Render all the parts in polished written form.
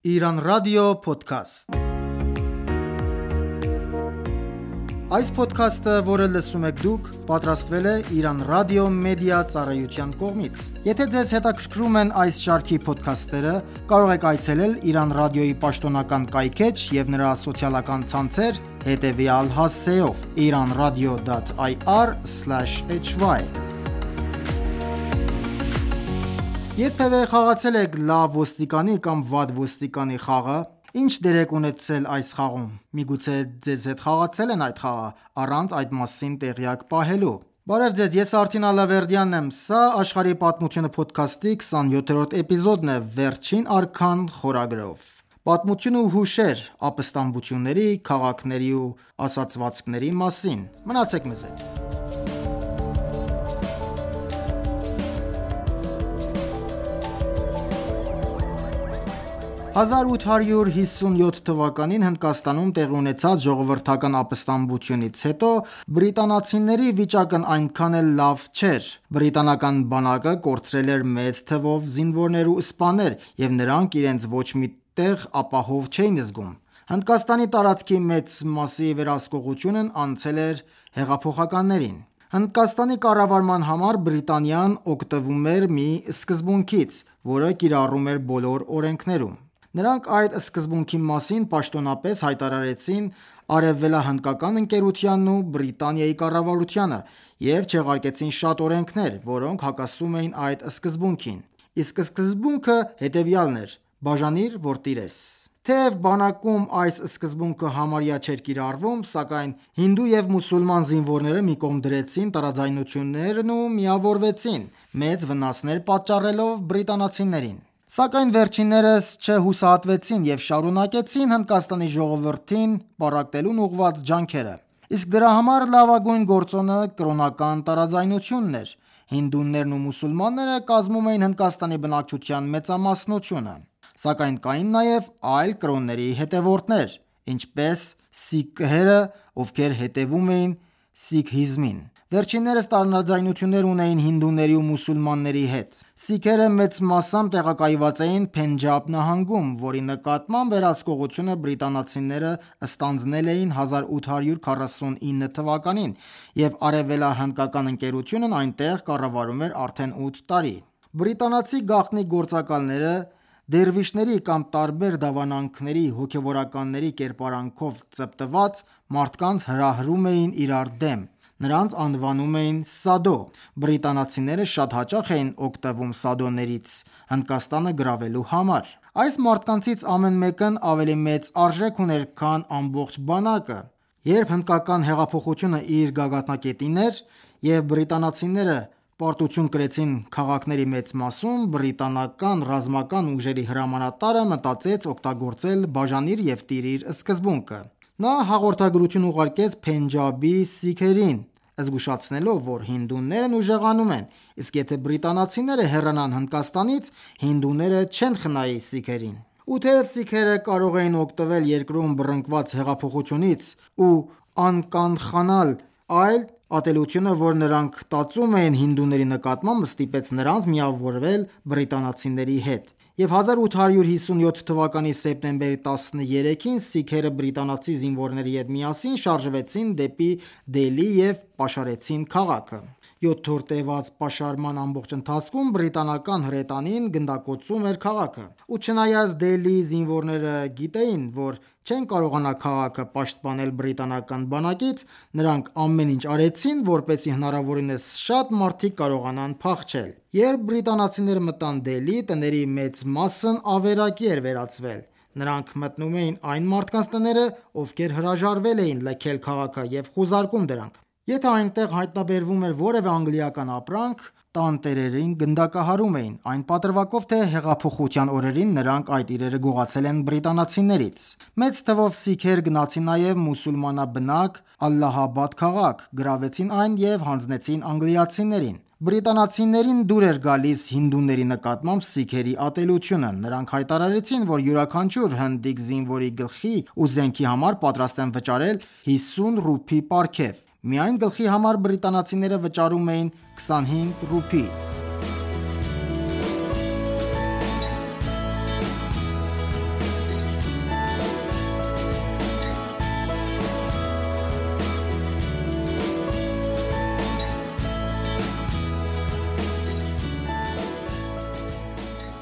Իրան ռադիո փոդքասթ։ Այս փոդքասթը, որը լսում եք դուք, պատրաստվել է Իրան ռադիո մեդիա ծառայության կողմից։ Եթե ձեզ հետաքրքրում են այս շարքի փոդքասթերը, կարող եք այցելել Իրան ռադիոյի պաշտոնական կայքէջ եւ նրա սոցիալական ցանցեր հետեւյալ հասցեով՝ iranradio.ir/hy։ Երբևէ խաղացել եք լավ ոստիկանի կամ վատ ոստիկանի խաղը։ Ինչ դեր եք ունեցել այս խաղում։ Միգուցե ձեզ հետ խաղացել են այդ խաղը առանց այդ մասին տեղյակ պահելու։ Բարև ձեզ, ես Արթին Ալավերդյանն եմ։ Սա Աշխարհի պատմությունը փոդքասթի 27-րդ էպիզոդն է վերջին արքան խորագրով։ Պատմություն ու հուշեր ապստամբությունների, քաղաքների ու ասացվածքների մասին։ Մնացեք մեզ հետ։ 1857 թվականին Հնդկաստանում տեղի ունեցած ժողովրդական ապստամբությունից հետո բրիտանացիների վիճակն այնքան էլ լավ չէր։ Բրիտանական բանակը կորցրել էր մեծ թվով զինվորներ ու սպաներ, և նրանք իրենց ոչ մի տեղ ապահով չէին զգում։ Հնդկաստանի տարածքի մեծ մասի վերահսկողությունն անցել էր հեղափոխականներին։ Հնդկաստանի կառավարման համար Բրիտանիան օգտվում էր մի սկզբունքից, որը կիրառում էր բոլոր օրենքներում։ Նրանք այդ սկզբունքի մասին պաշտոնապես հայտարարեցին արևելահնդկական ընկերությանն ու Բրիտանիայի կառավարությանը և չեղարկեցին շատ օրենքներ, որոնք հակասում էին այդ սկզբունքին։ Իսկ սկզբունքը հետևյալն էր՝ բաժանիր, որ տիրես։ Թեև բանակում այս սկզբունքը համարյա չէր կիրառվում, սակայն հինդու և մուսուլման զինվորները մի կողմ դրեցին տարաձայնություններն ու միավորվեցին, մեծ վնասներ պատճառելով բրիտանացիներին։ Սակայն վերջիններս չհուսահատվեցին և շարունակեցին Հնդկաստանի ժողովրդին պառակտելուն ուղղված ջանքերը։ Իսկ դրա համար լավագույն գործոնը կրոնական տարաձայնությունն էր։ Հինդուներն ու մուսուլմանները կազմում էին Հնդկաստանի բնակչության մեծամասնությունը։ Սակայն կային նաև այլ կրոնների հետևորդներ, ինչպես սիկհերը, ովքեր հետևում էին սիկհիզմին։ Վերջիններս տարաձայնություններ ունեին հինդուների ու մուսուլմանների հետ։ Սիկհերը մեծ մասամբ տեղակայված էին Փենջաբ նահանգում, որի նկատմամբ վերահսկողությունը բրիտանացիները ստանձնել էին 1849 թվականին, և արևելահնդկական ընկերությունն այնտեղ կառավարում էր արդեն 8 տարի։ Բրիտանացի գաղտնի գործակալները դերվիշների կամ տարբեր դավանանքների հոգևորականների կերպարանքով ծպտված մարդկանց հրահրում էին իրար դեմ։ Նրանց անվանում էին սադո։ Բրիտանացիները շատ հաճախ էին օգտվում սադոներից Հնդկաստանը գրավելու համար։ Այս մարդկանցից ամեն մեկն ավելի մեծ արժեք ուներ, քան ամբողջ բանակը։ Երբ հնդկական հեղափոխությունը իր գագաթնակետին էր, և բրիտանացիները պարտություն կրեցին քաղաքների մեծ մասում, բրիտանական ռազմական ուժերի հրամանատարը մտածեց օգտագործել բաժանիր և տիրիր սկզբունքը։ Նա հաղորդագրություն ուղարկեց Փենջաբի սիկհերին, զգուշացնելով, որ հինդուներն ուժեղանում են, իսկ եթե բրիտանացիները հեռանան Հնդկաստանից, հինդուները չեն խնայի սիկհերին։ Ու թեև սիկհերը կարող էին օգտվել երկրում բռնկված հեղափոխությունից ու անկանխանալ այլ ատելությունը, որ նրանք տածում էին հինդուների նկատմամբ, ստիպեց նրանց միավորվել բրիտանացիների հետ։ Եվ 1857 թվականի սեպտեմբերի 13-ին սիկհերը բրիտանացի զինվորների հետ միասին շարժվեցին դեպի Դելհի և պաշարեցին քաղաքը։ 7 օր տևած պաշարման ամբողջ ընթացքում բրիտանական հրետանին գնդակոծում էր քաղաքը։ Ու չնայած Դելհիի զինվորները գիտեին, որ չեն կարողանա քաղաքը պաշտպանել բրիտանական բանակից, նրանք ամեն ինչ արեցին, որպեսզի հնարավորինս շատ մարդիկ կարողանան փախչել։ Երբ բրիտանացիները մտան Դելհի, տների մեծ մասն ավերակի էր վերածվել։ Նրանք մտնում էին այն մարդկանց տները, ովքեր հրաժարվել էին լքել քաղաքը և խուզարկում դրանք։ Եթե այնտեղ հայտնաբերվում էր որևէ անգլիական ապրանք, տանտերերին գնդակահարում էին, այն պատրվակով, թե հեղափոխության օրերին նրանք այդ իրերը գողացել են բրիտանացիներից։ Մեծ թվով սիկհեր գնացին նաև մուսուլմանաբնակ Ալլահաբադ քաղաք, գրավեցին այն և հանձնեցին անգլիացիներին։ Բրիտանացիներին դուր էր գալիս հինդուների նկատմամբ սիկհերի ատելությունը։ Նրանք հայտարարեցին, որ յուրաքանչյուր հնդիկ զինվորի գլխի ու զենքի համար պատրաստ են վճարել 50 ռուփի պարգև։ Միայն գլխի համար բրիտանացիները վճարում էին 25 ռուփի։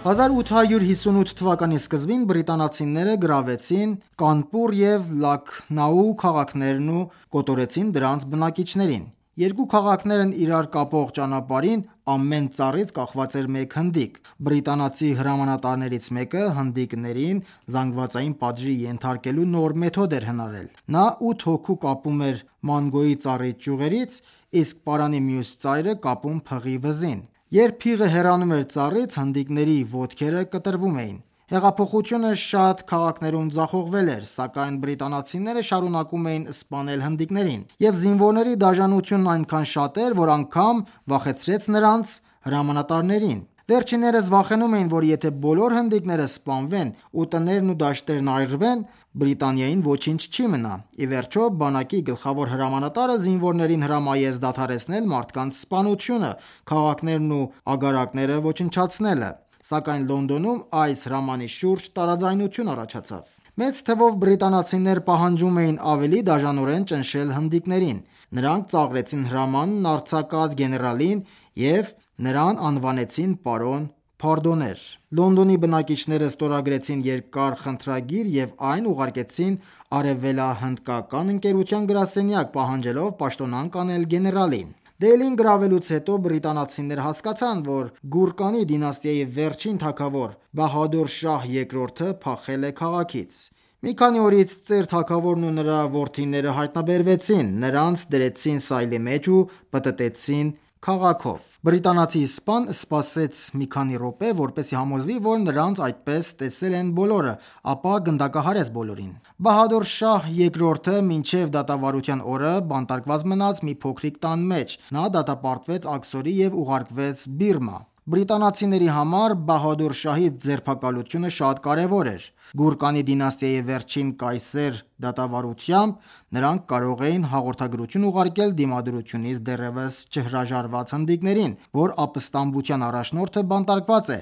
1858 թվականի սկզբին բրիտանացիները գրավեցին Կանպուր և Լաքնաու քաղաքներն ու կոտորեցին դրանց բնակիչներին։ Երկու քաղաքներն իրար կապող ճանապարհին ամեն ծառից կախված էր մեկ հնդիկ։ Բրիտանացի հրամանատարներից մեկը հնդիկներին զանգվածային պատժի ենթարկելու նոր մեթոդ էր հնարել։ Նա 8 հոգու կապում էր մանգոյի ծառի ճյուղերից, իսկ պարանի մյուս ծայրը կապում փղի վզին։ Երբ փիղը հեռանում էր ծառից, հնդիկների ոտքերը կտրվում էին։ Հեղափոխությունը շատ քաղաքներում ձախողվել էր, սակայն բրիտանացիները շարունակում էին սպանել հնդիկներին, և զինվորների դաժանությունն այնքան շատ էր, որ անգամ վախեցրեց նրանց հրամանատարներին։ Վերջիններս վախենում էին, որ եթե բոլոր հնդիկները սպանվեն ու տներն ու դաշտերն այրվեն, Բրիտանիային ոչինչ չի մնա։ Ի վերջո, բանակի գլխավոր հրամանատարը զինվորներին հրամայեց դադարեցնել մարդկանց սպանությունը, քաղաքներն ու ագարակները ոչնչացնելը, սակայն Լոնդոնում այս հրամանի շուրջ տարաձայնություն առաջացավ։ Մեծ թվով բրիտանացիներ պահանջում էին ավելի դաժանորեն ճնշել հնդիկներին։ Նրանք ծաղրեցին հրամանն արձակած գեներալին և նրան անվանեցին պարոն Փարդոներ։ Լոնդոնի բնակիչները ստորագրեցին երկար խնդրագիր և այն ուղարկեցին Արևելահնդկական ընկերության գրասենյակ՝ պահանջելով պաշտոնանկ անել գեներալին։ Դելհին գրավելուց հետո բրիտանացիները հասկացան, որ Գուրկանի դինաստիայի վերջին թագավոր Բահադուր շահ II-ը փախել է քաղաքից։ Մի քանի օրից ծեր թագավորն ու նրա որդիները հայտնաբերվեցին, նրանց դրեցին սայլի մեջ ու պտտեցին քաղաքով։ Բրիտանացի սպան սպասեց մի քանի րոպե, որպեսզի համոզվի, որ նրանց այդպես տեսել են բոլորը, ապա գնդակահարեց բոլորին։ Բահադուր շահ II-ը մինչև դատավարության օրը բանտարկված մնաց մի փոքրիկ տան մեջ։ Նա դատապարտվեց աքսորի և ուղարկվեց Բիրմա։ Բրիտանացիների համար Բահադուր շահի ձերբակալությունը շատ կարևոր էր։ Գուրկանի դինաստիայի վերջին կայսեր դատավարությամբ նրանք կարող էին հաղորդագրություն ուղարկել դիմադրությունից դեռևս չհրաժարված հնդիկներին, որ ապստամբության առաջնորդը բանտարկված է,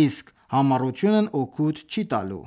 իսկ համառությունն օգուտ չի տալու։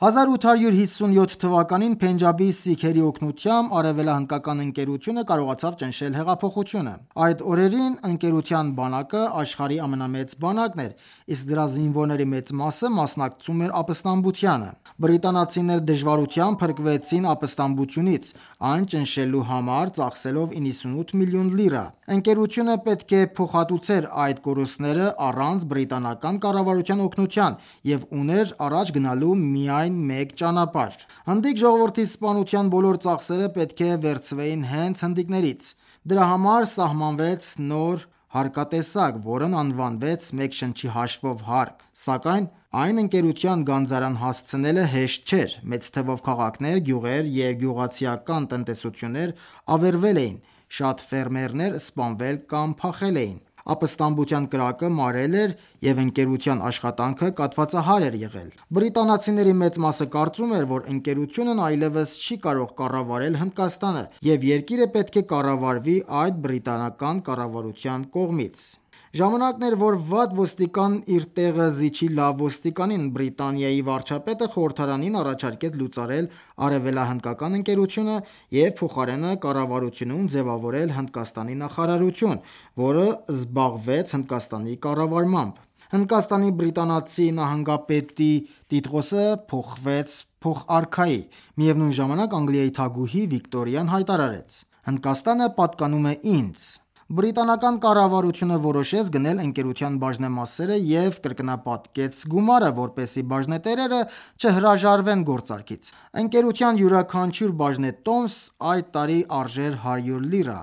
1857 թվականին Փենջաբի սիկհերի օգնությամբ Արևելահնդկական ընկերությունը կարողացավ ճնշել հեղափոխությունը։ Այդ օրերին ընկերության բանակը աշխարհի ամենամեծ բանակն էր, իսկ դրա զինվորների մեծ մասը մասնակցում էր ապստամբությանը։ Բրիտանացիները դժվարությամբ փրկվեցին ապստամբությունից, այն ճնշելու համար ծախսելով 98 միլիոն լիրա։ Ընկերությունը պետք է փոխհատուցեր այդ կորուստները առանց բրիտանական կառավարության օգնության և ուներ առաջ գնալու միայն մեկ ճանապարհ։ Հնդիկ ժողովրդի սպանության բոլոր ծախսերը պետք է վերցվեին հենց հնդիկներից։ Դրա համար սահմանվեց նոր հարկատեսակ, որն անվանվեց «մեկ շնչի հաշվով» հարկ։ Սակայն այն ընկերության գանձարան հասցնելը հեշտ չէր։ Մեծ թվով քաղաքներ, գյուղեր և գյուղացիական տնտեսություններ ավերվել էին, շատ ֆերմերներ սպանվել կամ փախել էին։ Ապստամբության կրակը մարել էր, և ընկերության աշխատանքը կաթվածահար էր եղել։ Բրիտանացիների մեծ մասը կարծում էր, որ ընկերությունն այլևս չի կարող կառավարել Հնդկաստանը, և երկիրը պետք է կառավարվի այդ բրիտանական կառավարության կողմից։ Ժամանակն էր, որ վատ ոստիկան իր տեղը զիջի լավ ոստիկանին։ Բրիտանիայի վարչապետը խորհրդարանին առաջարկեց լուծարել Արևելահնդկական ընկերությունը և փոխարենը կառավարությունում ձևավորել Հնդկաստանի նախարարություն, որը զբաղվեց Հնդկաստանի կառավարմամբ։ Հնդկաստանի բրիտանացի նահանգապետի տիտղոսը փոխվեց փոխարքայի։ Միևնույն ժամանակ Անգլիայի թագուհի Վիկտորիան հայտարարեց. «Հնդկաստանը պատկանում է ինձ»։ Բրիտանական կառավարությունը որոշեց գնել ընկերության բաժնեմասերը և կրկնապատկեց գումարը, որպեսզի բաժնետերերը չհրաժարվեն գործարքից։ Ընկերության յուրաքանչյուր բաժնետոմս այդ տարի արժեր 100 լիրա։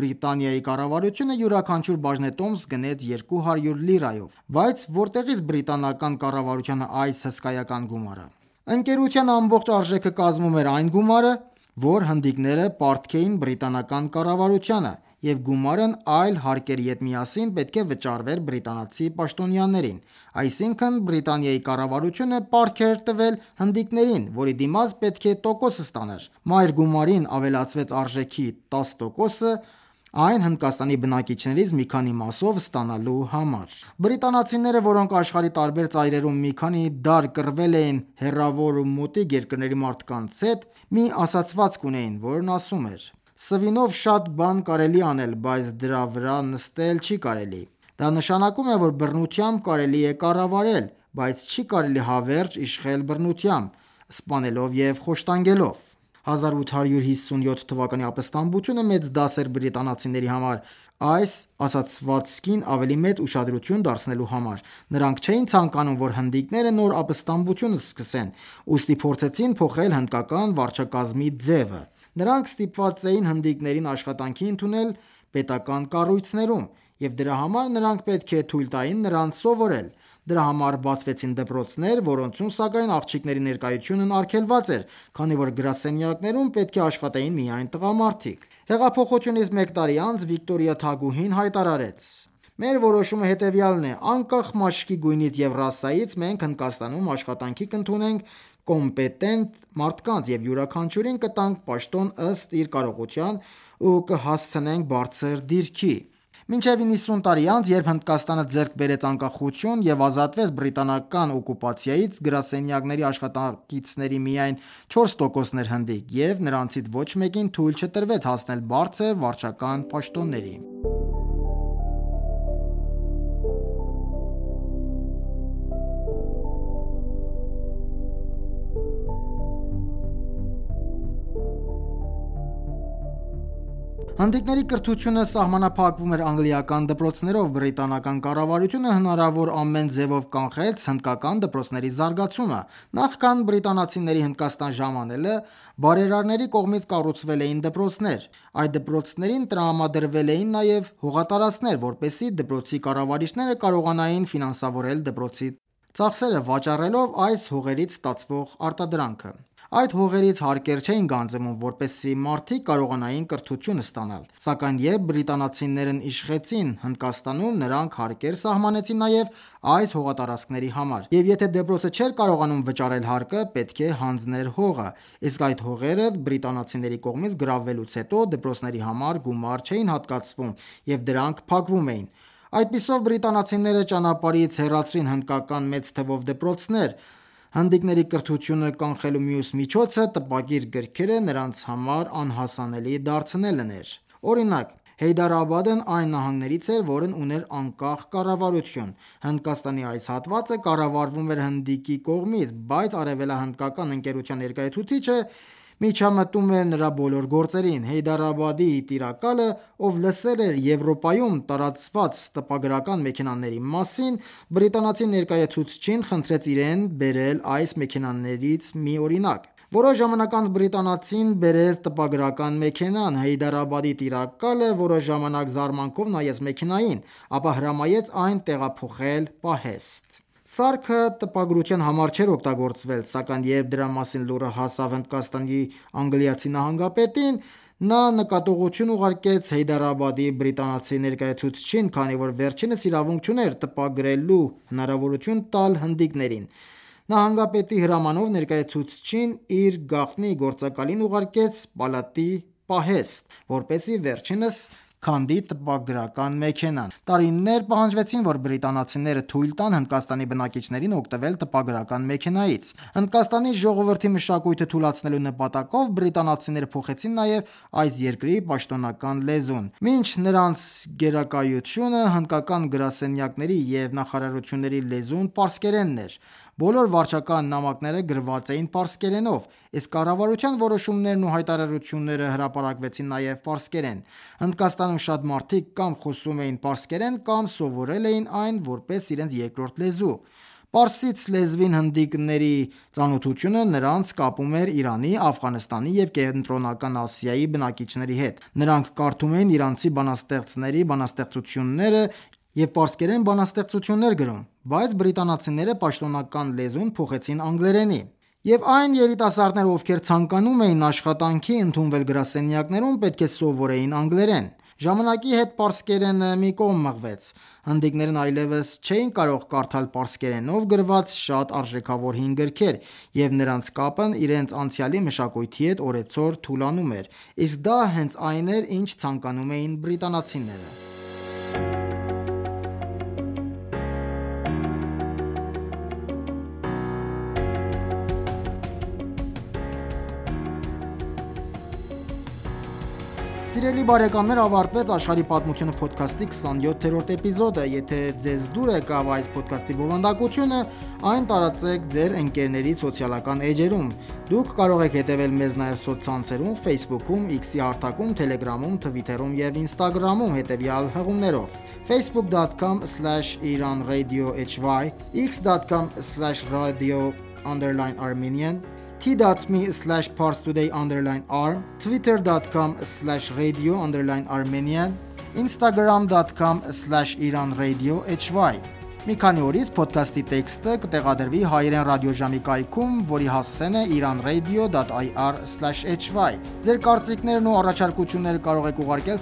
Բրիտանիայի կառավարությունը յուրաքանչյուր բաժնետոմս գնեց 200 լիրայով։ Բայց որտեղի՞ց բրիտանական կառավարությանը այս հսկայական գումարը։ Ընկերության ամբողջ արժեքը կազմում էր այն գումարը, որ հնդիկները պարտք էին բրիտանական կառավարությանը, և գումարն այլ հարկերի հետ միասին պետք է վճարվեր բրիտանացի պաշտոնյաներին։ Այսինքն՝ Բրիտանիայի կառավարությունը պարտք էր տվել հնդիկներին, որի դիմաց պետք է տոկոս ստանար։ Մայր գումարին ավելացվեց արժեքի 10%-ը այն Հնդկաստանի բնակիչներից մի քանի մասով ստանալու համար։ Բրիտանացիները, որոնք աշխարհի տարբեր ծայրերում մի քանի դար կռվել էին հեռավոր ու մոտիկ երկրների մարդկանց հետ, մի ասացվածք ունեին, որն ասում էր. «Սվինով շատ բան կարելի է անել, բայց դրա վրա նստել չի կարելի»։ Դա նշանակում է, որ բռնությամբ կարելի է կառավարել, բայց չի կարելի հավերժ իշխել բռնությամբ, սպանելով և խոշտանգելով: 1857 թվականի ապստամբությունը մեծ դաս էր բրիտանացիների համար այս ասացվածքին ավելի մեծ ուշադրություն դարձնելու համար: Նրանք չէին ցանկանում, որ հնդիկները նոր ապստամբություն սկսեն, ուստի փորձեցին փոխել հնդկական վարչակարգի ձևը: Նրանք ստիպված էին հնդիկներին աշխատանքի ընդունել պետական կառույցներում, և դրա համար նրանք պետք է թույլ տային նրանց սովորել: Դրա համար բացվեցին դպրոցներ, որոնցում սակայն աղջիկների ներկայությունն արգելված էր, քանի որ գրասենյակներում պետք է աշխատեին միայն տղամարդիկ: Հեղափոխությունից մեկ տարի անց Վիկտորիա թագուհին հայտարարեց. «Մեր որոշումը հետևյալն է. անկախ մաշկի գույնից և ռասայից, մենք Հնդկաստանում աշխատանքի կընդունենք կոմպետենտ մարդկանց և յուրաքանչյուրին կտանք պաշտոն ըստ իր կարողության ու կհասցնենք բարձր դիրքի»: Մինչև 90 տարի անց, երբ Հնդկաստանը ձեռք բերեց անկախություն և ազատվեց բրիտանական օկուպացիայից, գրասենյակների աշխատակիցների միայն 4%-ն էր հնդիկ, և նրանցից ոչ մեկին թույլ չտրվեց հասնել բարձր վարչական պաշտոնների: Հնդիկների կրթությունը սահմանափակվում էր անգլիական դպրոցներով: Բրիտանական կառավարությունը հնարավոր ամեն ձևով կանխեց հնդկական դպրոցների զարգացումը: Նախքան բրիտանացիների Հնդկաստան ժամանելը, բարերարների կողմից կառուցվել էին դպրոցներ: Այդ դպրոցներին տրամադրվել էին նաև հողատարածքներ, որպեսզի դպրոցի կառավարիչները կարողանային ֆինանսավորել դպրոցի ծախսերը, վաճառելով այս հողերից ստացվող արտադրանքը: Այդ հողերից հարկեր չէին գանձվում, որպեսզի մարդիկ կարողանային կրթություն ստանալ: Սակայն երբ բրիտանացիներն իշխեցին Հնդկաստանում, նրանք հարկեր սահմանեցին նաև այս հողատարածքների համար: Եվ եթե դպրոցը չէր կարողանում վճարել հարկը, պետք է հանձներ հողը: Իսկ այդ հողերը բրիտանացիների կողմից գրավվելուց հետո, դպրոցների համար գումար չէին հատկացվում և դրանք փակվում էին: Այդպիսով բրիտանացիները ճանապարհից հեռացրին հնդկական մեծ թվով դպրոցներ: Հնդիկների կրթությունը կանխելու մյուս միջոցը տպագիր գրքերը նրանց համար անհասանելի դարձնելն էր: Օրինակ, Հայդարաբադն այն նահանգներից էր, որն ուներ անկախ կառավարություն: Հնդկաստանի այս հատվածը կառավարվում էր հնդիկի կողմից, բայց արևելահնդկական ընկերության ներկայացուցիչը միջամտում էր նրա բոլոր գործերին: Հայդարաբադի տիրակալը, ով լսել էր Եվրոպայում տարածված տպագրական մեքենաների մասին, բրիտանացի ներկայացուցչին խնդրեց իրեն բերել այս մեքենաներից մի օրինակ: Որոշ ժամանակ անց բրիտանացին բերեց տպագրական մեքենան: Հայդարաբադի տիրակալը որոշ ժամանակ զարմանքով նայեց մեքենային, ապա հրամայեց այն տեղափոխել պահեստ: Սարքը տպագրության համար չէր օգտագործվել, սակայն երբ դրա մասին լուրը հասավ Հնդկաստանի անգլիացի նահանգապետին, նա նկատողություն ուղարկեց Հայդարաբադի բրիտանացի ներկայացուցչին, քանի որ վերջինս իրավունք չուներ տպագրելու հնարավորություն տալ հնդիկներին: Նահանգապետի հրամանով ներկայացուցչին իր գաղտնի գործակալին ուղարկեց պալատի պահեստ, որպեսզի վերջինս քանդի տպագրական մեքենան: Տարիներ պահանջվեցին, որ բրիտանացիները թույլ տան Հնդկաստանի բնակիչներին օգտվել տպագրական մեքենայից: Հնդկաստանի ժողովրդի մշակույթը թուլացնելու նպատակով, բրիտանացիները փոխեցին նաև այս երկրի պաշտոնական լեզուն: Մինչ նրանց գերակայությունը, հնդկական գրասենյակների և նախարարությունների լեզուն պարսկերենն էր: Բոլոր վարչական նամակները գրված էին պարսկերենով, իսկ կառավարության որոշումներն ու հայտարարությունները հրապարակվեցին նաև պարսկերեն: Հնդկաստանում շատ մարդիկ կամ խոսում էին պարսկերեն, կամ սովորել էին այն որպես իրենց երկրորդ լեզու: Պարսից լեզվին հնդիկների ծանոթությունը նրանց կապում էր Իրանի, Աֆղանստանի և Կենտրոնական Ասիայի բնակիչների հետ: Նրանք կարդում էին իրանցի բանաստեղծների բանաստեղծությունները և պարսկերեն բանաստեղծություններ գրում: Բայց բրիտանացիները պաշտոնական լեզուն փոխեցին անգլերենի: Եվ այն երիտասարդները, ովքեր ցանկանում էին աշխատանքի ընդունվել գրասենյակներում, պետք է սովորեին անգլերեն: Ժամանակի հետ պարսկերենը մի կողմ մղվեց: Հնդիկներն այլևս չէին կարող կարդալ պարսկերենով գրված շատ արժեքավոր հին գրքեր, և նրանց կապն իրենց անցյալի մշակույթի հետ օրեցօր թուլանում էր: Իսկ դա հենց այն էր, ինչ ցանկանում էին բրիտանացիները: Սիրելի բարեկամներ, ավարտվեց Աշխարհի պատմությունը փոդքասթի 27-րդ էպիզոդը։ Եթե ձեզ դուր եկավ այս փոդքասթի բովանդակությունը, այն տարածեք ձեր ընկերների սոցիալական էջերում։ Դուք կարող եք հետևել մեզ նաև սոցցանցերում, Facebook-ում, X-ի հարթակում, Telegram-ում, Twitter-ում եւ Instagram-ում հետևյալ հղումներով. facebook.com/iranradiohy, x.com/radio_armenian, t.me/parstoday_arm, twitter.com/radio_armenian, instagram.com/iranradiohy։ Մի քանի օրից փոդքասթի տեքստը կտեղադրվի հայերեն ռադիոժամի կայքում, որի հասցեն է iranradio.ir/hy։ Ձեր կարծիքներն ու առաջարկությունները կարող եք ուղարկել